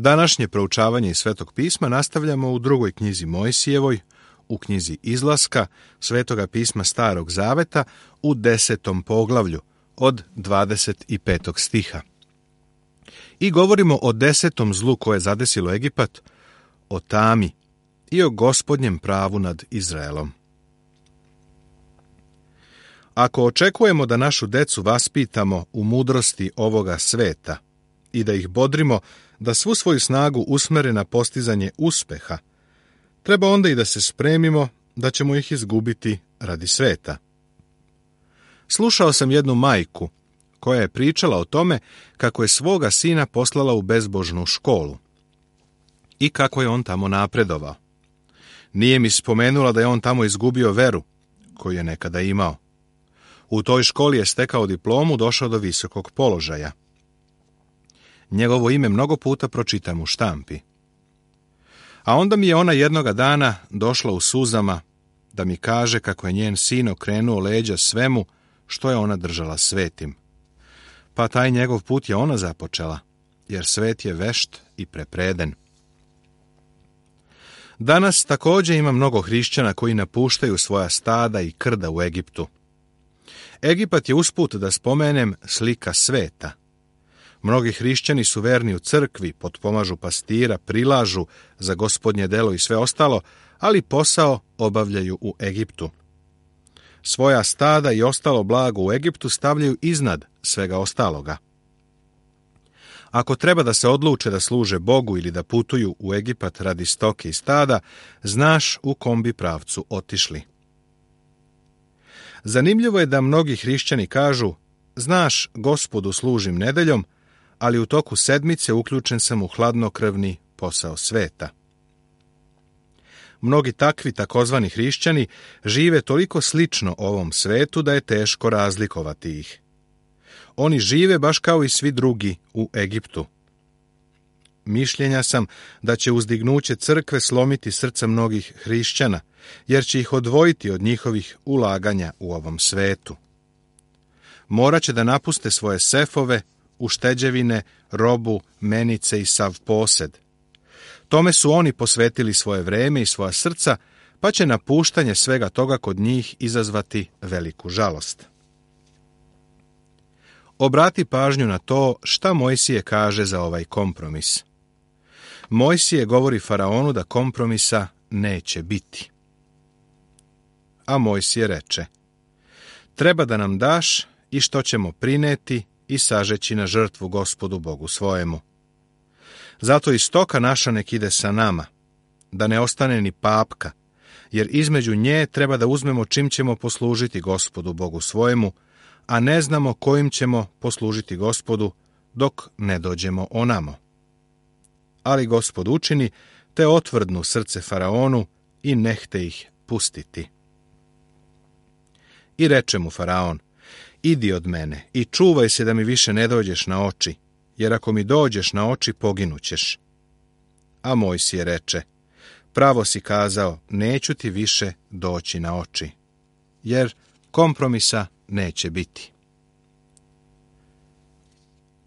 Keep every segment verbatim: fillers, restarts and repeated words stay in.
Današnje proučavanje iz Svetog pisma nastavljamo u drugoj knjizi Mojsijevoj, u knjizi Izlaska, Svetoga pisma Starog zaveta, u desetom poglavlju, od dvadeset petog stiha. I govorimo o desetom zlu koje je zadesilo Egipat, o tami i o Gospodnjem pravu nad Izraelom. Ako očekujemo da našu decu vaspitamo u mudrosti ovoga sveta i da ih bodrimo da svu svoju snagu usmere na postizanje uspeha, treba onda i da se spremimo da ćemo ih izgubiti radi sveta. Slušao sam jednu majku koja je pričala o tome kako je svoga sina poslala u bezbožnu školu i kako je on tamo napredovao. Nije mi spomenula da je on tamo izgubio veru koju je nekada imao. U toj školi je stekao diplomu, došao do visokog položaja. Njegovo ime mnogo puta pročitam u štampi. A onda mi je ona jednoga dana došla u suzama da mi kaže kako je njen sin okrenuo leđa svemu što je ona držala svetim. Pa taj njegov put je ona započela, jer svet je vešt i prepreden. Danas također ima mnogo hrišćana koji napuštaju svoja stada i krda u Egiptu. Egipat je, usput da spomenem, slika sveta. Mnogi hrišćani su verni u crkvi, potpomažu pastira, prilažu za Gospodnje delo i sve ostalo, ali posao obavljaju u Egiptu. Svoja stada i ostalo blago u Egiptu stavljaju iznad svega ostaloga. Ako treba da se odluče da služe Bogu ili da putuju u Egipat radi stoke i stada, znaš u kom bi pravcu otišli. Zanimljivo je da mnogi hrišćani kažu: znaš, Gospodu služim nedeljom, ali u toku sedmice uključen sam u hladnokrvni posao sveta. Mnogi takvi takozvani hrišćani žive toliko slično ovom svetu da je teško razlikovati ih. Oni žive baš kao i svi drugi u Egiptu. Mišljenja sam da će uzdignuće crkve slomiti srca mnogih hrišćana, jer će ih odvojiti od njihovih ulaganja u ovom svetu. Morat će da napuste svoje sefove, ušteđevine, robu, menice i sav posed. Tome su oni posvetili svoje vreme i svoja srca, pa će napuštanje svega toga kod njih izazvati veliku žalost. Obrati pažnju na to šta Mojsije kaže za ovaj kompromis. Mojsije govori faraonu da kompromisa neće biti. A Mojsije reče: treba da nam daš i što ćemo prineti i sažeći na žrtvu Gospodu Bogu svojemu. Zato i stoka naša nek ide sa nama, da ne ostane ni papka, jer između nje treba da uzmemo čim ćemo poslužiti Gospodu Bogu svojemu, a ne znamo kojim ćemo poslužiti Gospodu dok ne dođemo onamo. Ali Gospod učini, te otvrdnu srce faraonu i nehte ih pustiti. I reče mu faraon: idi od mene i čuvaj se da mi više ne dođeš na oči, jer ako mi dođeš na oči poginućeš. A Mojsije reče: pravo si kazao, neću ti više doći na oči, jer kompromisa neće biti.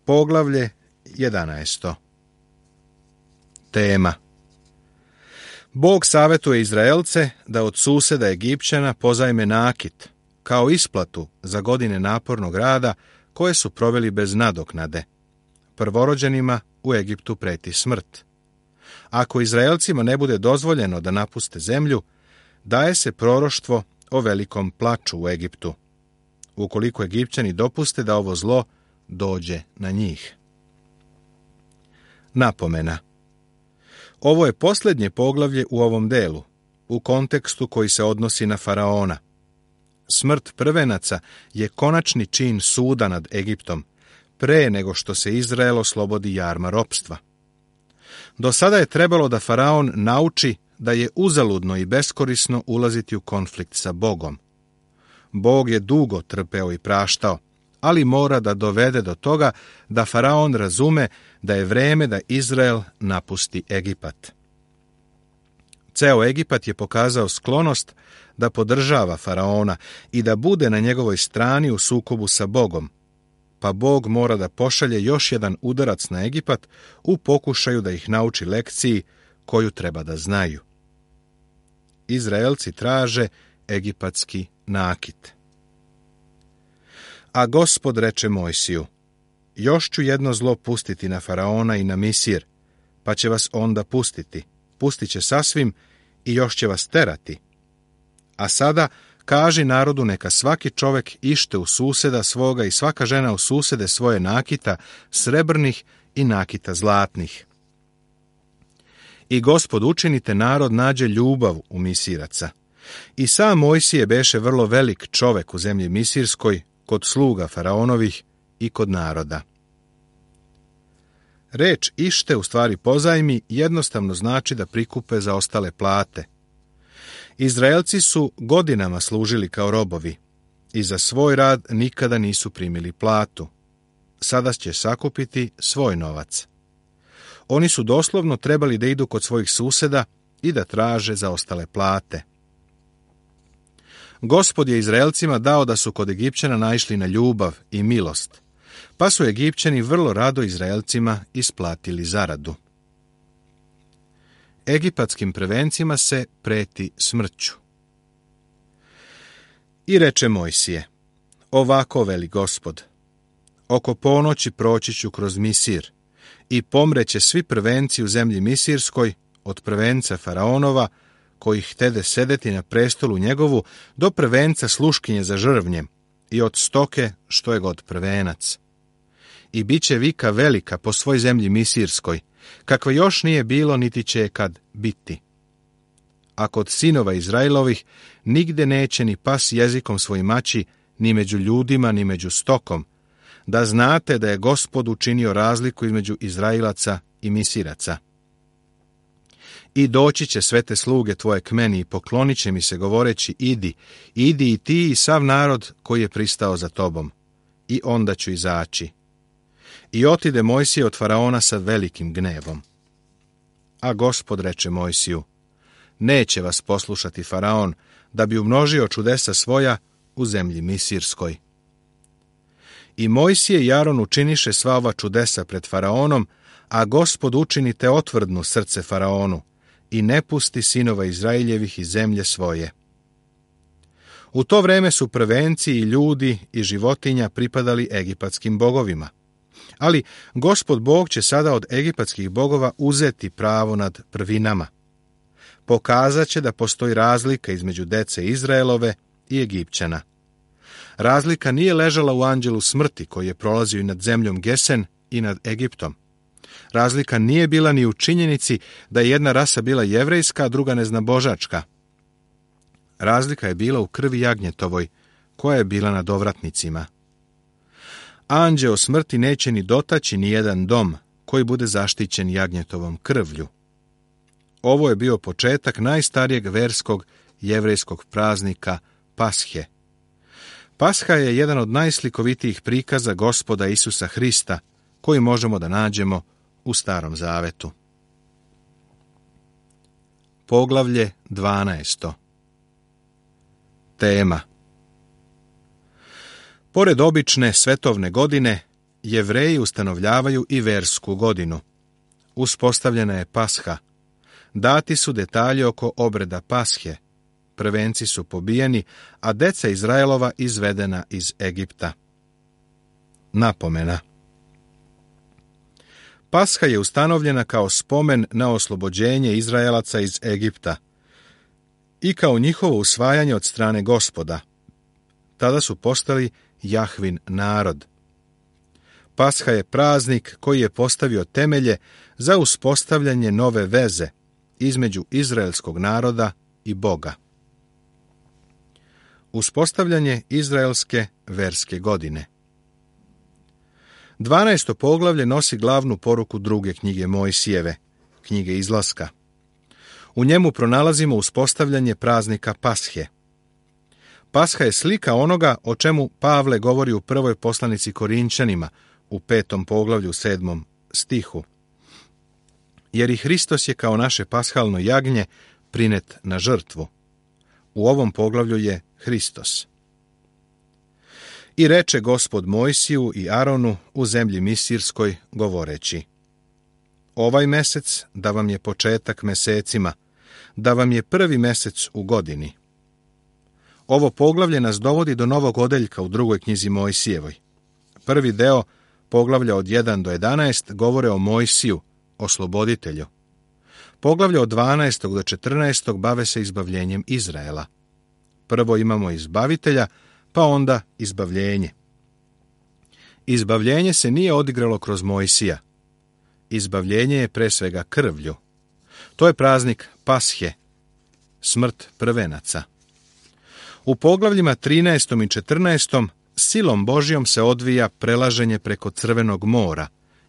Poglavlje jedanaesto. Tema: Bog savjetuje Izraelce da od suseda Egipćana pozajme nakit, kao isplatu za godine napornog rada koje su proveli bez nadoknade. Prvorođenima u Egiptu preti smrt. Ako Izraelcima ne bude dozvoljeno da napuste zemlju, daje se proroštvo o velikom plaču u Egiptu, ukoliko Egipćani dopuste da ovo zlo dođe na njih. Napomena: ovo je posljednje poglavlje u ovom delu, u kontekstu koji se odnosi na faraona. Smrt prvenaca je konačni čin suda nad Egiptom, pre nego što se Izrael oslobodi jarma ropstva. Do sada je trebalo da faraon nauči da je uzaludno i beskorisno ulaziti u konflikt sa Bogom. Bog je dugo trpeo i praštao, ali mora da dovede do toga da faraon razume da je vreme da Izrael napusti Egipat. Ceo Egipat je pokazao sklonost da podržava faraona i da bude na njegovoj strani u sukobu sa Bogom. pa Bog mora da pošalje još jedan udarac na Egipat u pokušaju da ih nauči lekciji koju treba da znaju. Izraelci traže egipatski nakit. A Gospod reče Mojsiju: još ću jedno zlo pustiti na Faraona i na Misir, pa će vas onda pustiti. Pustit će sasvim i još će vas terati. A sada kaži narodu neka svaki čovek ište u suseda svoga i svaka žena u susede svoje nakita srebrnih i nakita zlatnih. I Gospod učinite narod nađe ljubav u Misiraca. I sam Mojsije beše vrlo velik čovek u zemlji Misirskoj, kod sluga Faraonovih i kod naroda. Reč ište, u stvari pozajmi, jednostavno znači da prikupe za ostale plate. Izraelci su godinama služili kao robovi i za svoj rad nikada nisu primili platu. Sada će sakupiti svoj novac. Oni su doslovno trebali da idu kod svojih suseda i da traže za ostale plate. Gospod je Izraelcima dao da su kod Egipćana naišli na ljubav i milost, pa su Egipćani vrlo rado Izraelcima isplatili zaradu. Egipatskim prvencima se preti smrću. I reče Mojsije: ovako veli Gospod, oko ponoći proći ću kroz Misir i pomreće svi prvenci u zemlji Misirskoj, od prvenca Faraonova, koji htede sedeti na prestolu njegovu, do prvenca sluškinje za žrvnjem i od stoke što je god prvenac. I bit će vika velika po svoj zemlji Misirskoj, kakva još nije bilo niti će je kad biti. A kod sinova Izraelovih nigde neće ni pas jezikom svoj maći, ni među ljudima, ni među stokom, da znate da je Gospod učinio razliku između Izraelaca i Misiraca. I doći će sve te sluge tvoje k meni i poklonit će mi se govoreći: idi, idi i ti i sav narod koji je pristao za tobom. I onda ću izaći. I otide Mojsije od Faraona sa velikim gnevom. A Gospod reče Mojsiju: neće vas poslušati Faraon, da bi umnožio čudesa svoja u zemlji Misirskoj. I Mojsije i Aron učiniše sva ova čudesa pred Faraonom, a Gospod učinite otvrdnu srce Faraonu i ne pusti sinova Izraeljevih iz zemlje svoje. U to vreme su prvenci i ljudi i životinja pripadali egipatskim bogovima. Ali Gospod Bog će sada od egipatskih bogova uzeti pravo nad prvinama. Pokazat će da postoji razlika između dece Izraelove i Egipćana. Razlika nije ležala u anđelu smrti koji je prolazio i nad zemljom Gesen i nad Egiptom. Razlika nije bila ni u činjenici da je jedna rasa bila jevrejska, a druga neznabožačka. Razlika je bila u krvi jagnjetovoj, koja je bila nad ovratnicima. Anđeo smrti neće ni dotaći ni jedan dom koji bude zaštićen jagnjetovom krvlju. Ovo je bio početak najstarijeg verskog jevrejskog praznika Pashe. Pasha je jedan od najslikovitijih prikaza Gospoda Isusa Hrista koji možemo da nađemo u Starom Zavetu. Poglavlje dvanaesto. Tema. Pored obične svetovne godine, Jevreji ustanovljavaju i versku godinu. Uspostavljena je Pasha. Dati su detalji oko obreda Pashe. Prvenci su pobijeni, a deca Izraelova izvedena iz Egipta. Napomena. Pasha je ustanovljena kao spomen na oslobođenje Izraelaca iz Egipta i kao njihovo usvajanje od strane Gospoda. Tada su postali Jahvin narod. Pasha je praznik koji je postavio temelje za uspostavljanje nove veze između izraelskog naroda i Boga. Uspostavljanje izraelske verske godine. Dvanaesto poglavlje nosi glavnu poruku druge knjige Mojsijeve, knjige Izlaska. U njemu pronalazimo uspostavljanje praznika Pashe. Pasha je slika onoga o čemu Pavle govori u prvoj poslanici Korinčanima, u petom poglavlju, sedmom stihu. Jer i Hristos je kao naše pashalno jagnje prinet na žrtvu. U ovom poglavlju je Hristos. I reče Gospod Mojsiju i Aronu u zemlji Misirskoj, govoreći: Ovaj mesec da vam je početak mesecima, da vam je prvi mesec u godini. Ovo poglavlje nas dovodi do novog odeljka u drugoj knjizi Mojsijevoj. Prvi deo, poglavlja od jedan do jedanaest, govore o Mojsiju, osloboditelju. Poglavlja od dvanaestog do četrnaestog bave se izbavljenjem Izraela. Prvo imamo izbavitelja, pa onda izbavljenje. Izbavljenje se nije odigralo kroz Mojsija. Izbavljenje je pre svega krvlju. To je praznik Pashe, smrt prvenaca. U poglavljima trinaestom i četrnaestom silom Božjom se odvija prelaženje preko Crvenog mora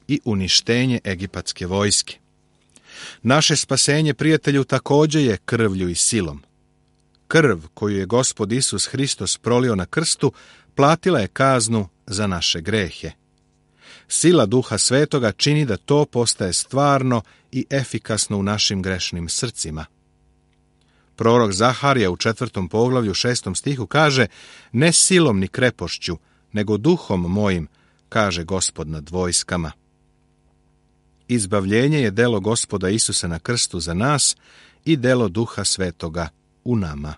i uništenje egipatske vojske. Naše spasenje, prijatelju, također je krvlju i silom. Krv koju je Gospod Isus Hristos prolio na krstu platila je kaznu za naše grehe. Sila Duha Svetoga čini da to postaje stvarno i efikasno u našim grešnim srcima. Prorok Zaharija u četvrtom poglavlju šestom stihu kaže: Ne silom ni krepošću, nego duhom mojim, kaže Gospod nad vojskama. Izbavljenje je delo Gospoda Isusa na krstu za nas i delo Duha Svetoga u nama.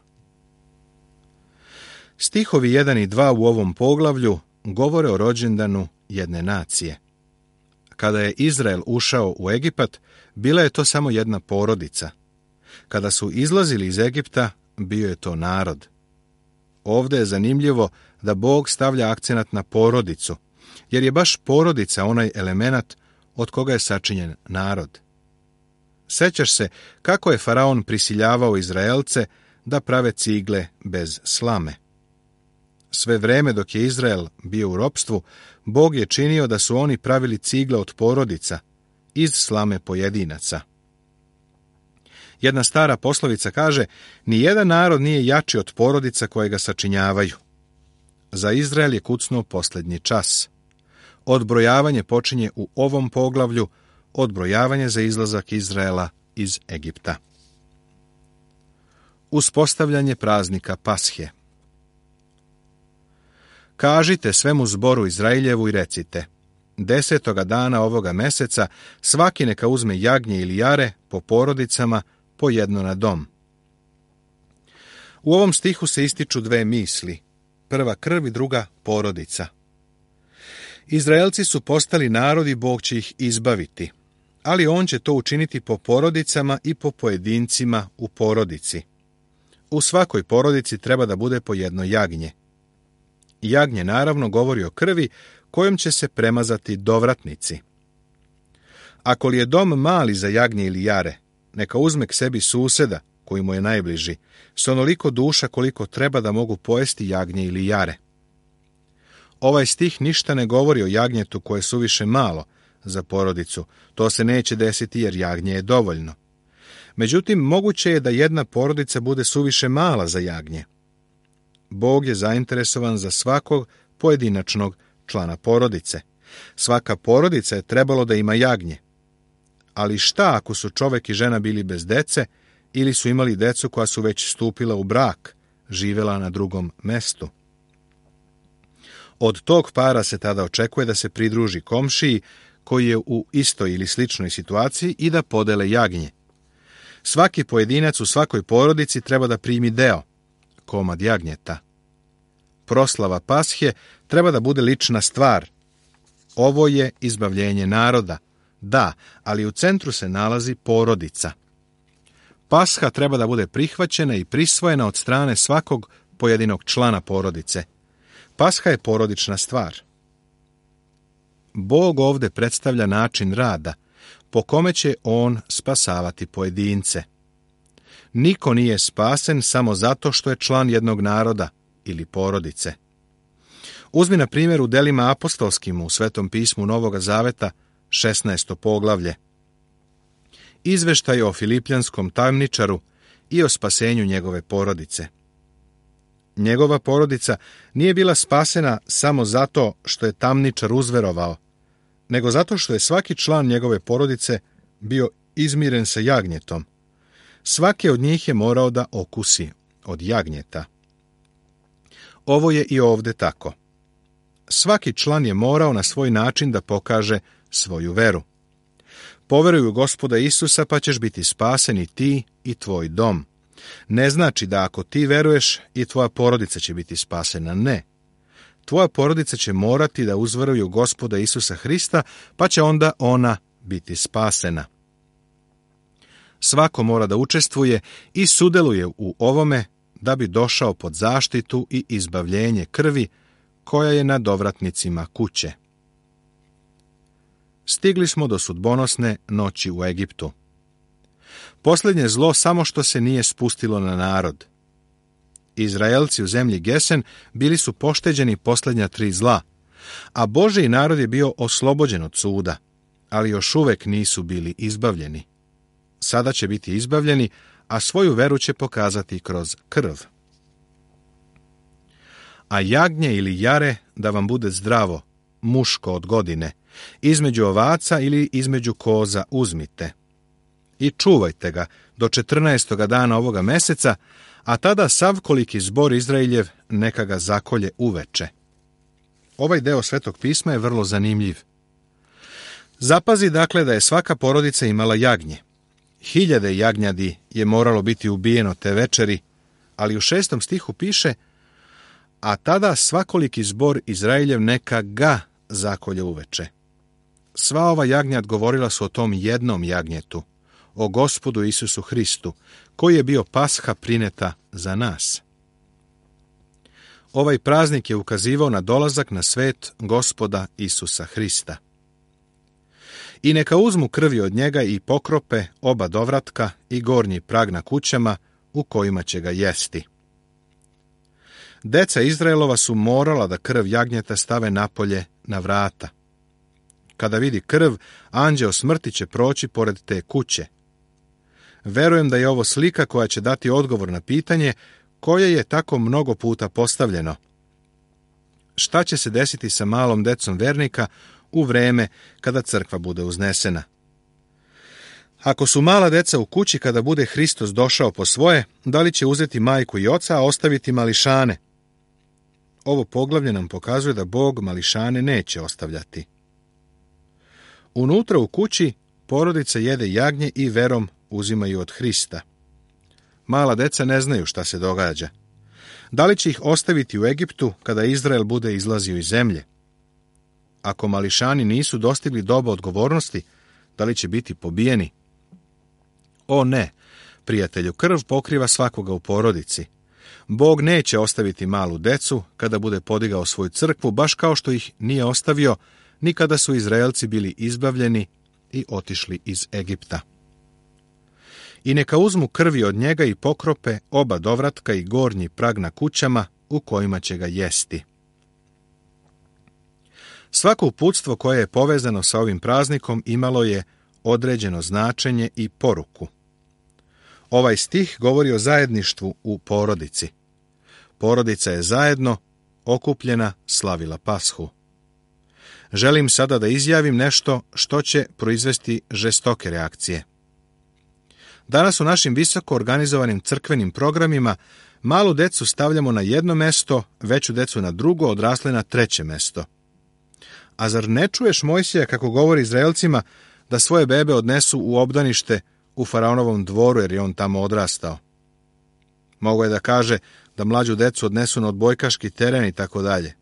Stihovi jedan i dva u ovom poglavlju govore o rođendanu jedne nacije. Kada je Izrael ušao u Egipat, bila je to samo jedna porodica. Kada su izlazili iz Egipta, bio je to narod. Ovdje je zanimljivo da Bog stavlja akcenat na porodicu, jer je baš porodica onaj elemenat od koga je sačinjen narod. Sećaš se kako je faraon prisiljavao Izraelce da prave cigle bez slame. Sve vreme dok je Izrael bio u ropstvu, Bog je činio da su oni pravili cigle od porodica, iz slame pojedinaca. Jedna stara poslovica kaže: Nijedan narod nije jači od porodica koje ga sačinjavaju. Za Izrael je kucnuo posljednji čas. Odbrojavanje počinje u ovom poglavlju, odbrojavanje za izlazak Izraela iz Egipta. Uspostavljanje praznika Pashe. Kažite svemu zboru Izraeljevu i recite: Desetoga dana ovoga meseca svaki neka uzme jagnje ili jare po porodicama, po jedno na dom. U ovom stihu se ističu dve misli. Prva krv i druga porodica. Izraelci su postali narod i Bog će ih izbaviti, ali on će to učiniti po porodicama i po pojedincima u porodici. U svakoj porodici treba da bude po jedno jagnje. Jagnje naravno govori o krvi kojom će se premazati dovratnici. Ako li je dom mali za jagnje ili jare, neka uzme k sebi suseda, koji mu je najbliži, s onoliko duša koliko treba da mogu pojesti jagnje ili jare. Ovaj stih ništa ne govori o jagnjetu koje je suviše malo za porodicu. To se neće desiti jer jagnje je dovoljno. Međutim, moguće je da jedna porodica bude suviše mala za jagnje. Bog je zainteresovan za svakog pojedinačnog člana porodice. Svaka porodica je trebalo da ima jagnje. Ali šta ako su čovek i žena bili bez dece ili su imali decu koja su već stupila u brak, živela na drugom mestu? Od tog para se tada očekuje da se pridruži komšiji koji je u istoj ili sličnoj situaciji i da podele jagnje. Svaki pojedinac u svakoj porodici treba da primi deo, komad jagnjeta. Proslava Pashe treba da bude lična stvar. Ovo je izbavljenje naroda. Da, ali u centru se nalazi porodica. Pasha treba da bude prihvaćena i prisvojena od strane svakog pojedinog člana porodice. Pasha je porodična stvar. Bog ovdje predstavlja način rada, po kome će on spasavati pojedince. Niko nije spasen samo zato što je član jednog naroda ili porodice. Uzmi na primjer u delima apostolskim u Svetom pismu Novoga Zaveta, šesnaesto poglavlje. Izveštaj o filipljanskom tamničaru i o spasenju njegove porodice. Njegova porodica nije bila spasena samo zato što je tamničar uzverovao, nego zato što je svaki član njegove porodice bio izmiren sa jagnjetom. Svaki od njih je morao da okusi od jagnjeta. Ovo je i ovdje tako. svaki član je morao na svoj način da pokaže svoju veru. Poveruj u Gospoda Isusa pa ćeš biti spasen i ti i tvoj dom. Ne znači da ako ti veruješ i tvoja porodica će biti spasena, ne. Tvoja porodica će morati da uzveruju u Gospoda Isusa Hrista, pa će onda ona biti spasena. Svako mora da učestvuje i sudeluje u ovome da bi došao pod zaštitu i izbavljenje krvi koja je na dovratnicima kuće. Stigli smo do sudbonosne noći u Egiptu. Posljednje zlo samo što se nije spustilo na narod. Izraelci u zemlji Gesen bili su pošteđeni posljednja tri zla, a Božji narod je bio oslobođen od suda, ali još uvek nisu bili izbavljeni. Sada će biti izbavljeni, a svoju veru će pokazati kroz krv. A jagnje ili jare da vam bude zdravo, muško od godine, između ovaca ili između koza uzmite. I čuvajte ga do četrnaestoga dana ovoga meseca, a tada sav koliki zbor Izraeljev neka ga zakolje uveče. Ovaj deo Svetog pisma je vrlo zanimljiv. Zapazi dakle da je svaka porodica imala jagnje. Hiljade jagnjadi je moralo biti ubijeno te večeri, ali u šestom stihu piše: a tada svakoliki zbor Izraeljev neka ga zakolje uveče. Sva ova jagnjad govorila su o tom jednom jagnjetu, o Gospodu Isusu Hristu, koji je bio pasha prineta za nas. Ovaj praznik je ukazivao na dolazak na svet Gospoda Isusa Hrista. I neka uzmu krvi od njega i pokrope oba dovratka i gornji prag na kućama u kojima će ga jesti. Deca Izraelova su morala da krv jagnjeta stave napolje na vrata. Kada vidi krv, anđeo smrti će proći pored te kuće. Verujem da je ovo slika koja će dati odgovor na pitanje koje je tako mnogo puta postavljeno. Šta će se desiti sa malom decom vernika u vreme kada crkva bude uznesena? Ako su mala deca u kući kada bude Hristos došao po svoje, da li će uzeti majku i oca, a ostaviti mališane? Ovo poglavlje nam pokazuje da Bog mališane neće ostavljati. Unutra u kući porodica jede jagnje i verom uzimaju od Hrista. Mala deca ne znaju šta se događa. Da li će ih ostaviti u Egiptu kada Izrael bude izlazio iz zemlje? Ako mališani nisu dostigli doba odgovornosti, da li će biti pobijeni? O ne, prijatelju, krv pokriva svakoga u porodici. Bog neće ostaviti malu decu kada bude podigao svoju crkvu, baš kao što ih nije ostavio ni kada su Izraelci bili izbavljeni i otišli iz Egipta. I neka uzmu krvi od njega i pokrope oba dovratka i gornji prag na kućama u kojima će ga jesti. Svako uputstvo koje je povezano sa ovim praznikom imalo je određeno značenje i poruku. Ovaj stih govori o zajedništvu u porodici. Porodica je zajedno, okupljena, slavila Pashu. Želim sada da izjavim nešto što će proizvesti žestoke reakcije. Danas u našim visoko organizovanim crkvenim programima malu decu stavljamo na jedno mesto, veću decu na drugo, odrasle na treće mesto. A zar ne čuješ Mojsija kako govori Izraelcima da svoje bebe odnesu u obdanište u faraonovom dvoru jer je on tamo odrastao? Mogo je da kaže da mlađu decu odnesu na odbojkaški teren i tako dalje.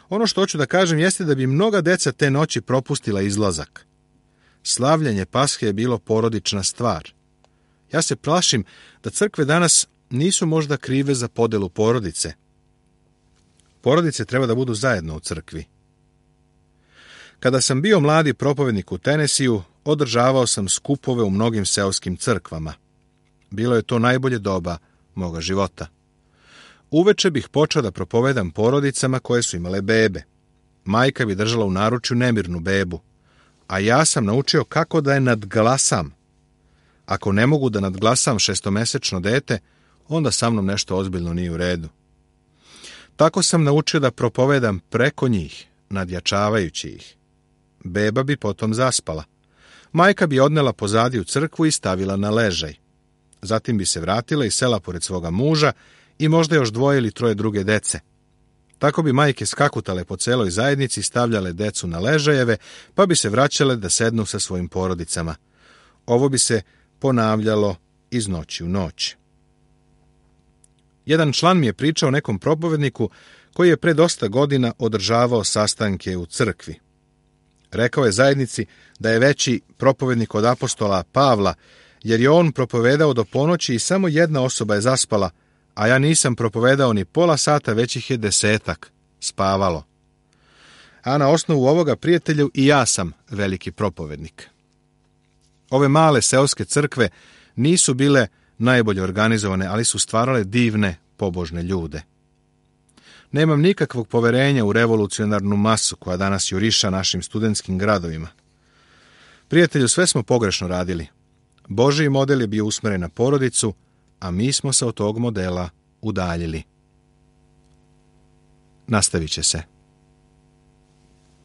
Ono što hoću da kažem jeste da bi mnoga deca te noći propustila izlazak. Slavljenje Pashe je bilo porodična stvar. Ja se plašim da crkve danas nisu možda krive za podelu porodice. Porodice treba da budu zajedno u crkvi. Kada sam bio mladi propovednik u Tenesiju, održavao sam skupove u mnogim seoskim crkvama. Bilo je to najbolje doba moga života. Uveče bih počeo da propovedam porodicama koje su imale bebe. Majka bi držala u naručju nemirnu bebu, a ja sam naučio kako da je nadglasam. Ako ne mogu da nadglasam šestomesečno dete, onda sa mnom nešto ozbiljno nije u redu. Tako sam naučio da propovedam preko njih, nadjačavajući ih. Beba bi potom zaspala. Majka bi odnela pozadi u crkvu i stavila na ležaj. Zatim bi se vratila i sela pored svoga muža i možda još dvoje ili troje druge dece. Tako bi majke skakutale po celoj zajednici, stavljale decu na ležajeve, pa bi se vraćale da sednu sa svojim porodicama. Ovo bi se ponavljalo iz noći u noć. Jedan član mi je pričao nekom propovedniku koji je pre dosta godina održavao sastanke u crkvi. Rekao je zajednici da je veći propovednik od apostola Pavla, jer je on propovedao do ponoći i samo jedna osoba je zaspala, a ja nisam propovedao ni pola sata, već ih je desetak spavalo. A na osnovu ovoga, prijatelju, i ja sam veliki propovednik. Ove male seoske crkve nisu bile najbolje organizovane, ali su stvarale divne, pobožne ljude. Nemam nikakvog poverenja u revolucionarnu masu koja danas juriša našim studentskim gradovima. Prijatelju, sve smo pogrešno radili. Božji model je bio usmeren na porodicu, a mi smo se od tog modela udaljili. Nastavit će se.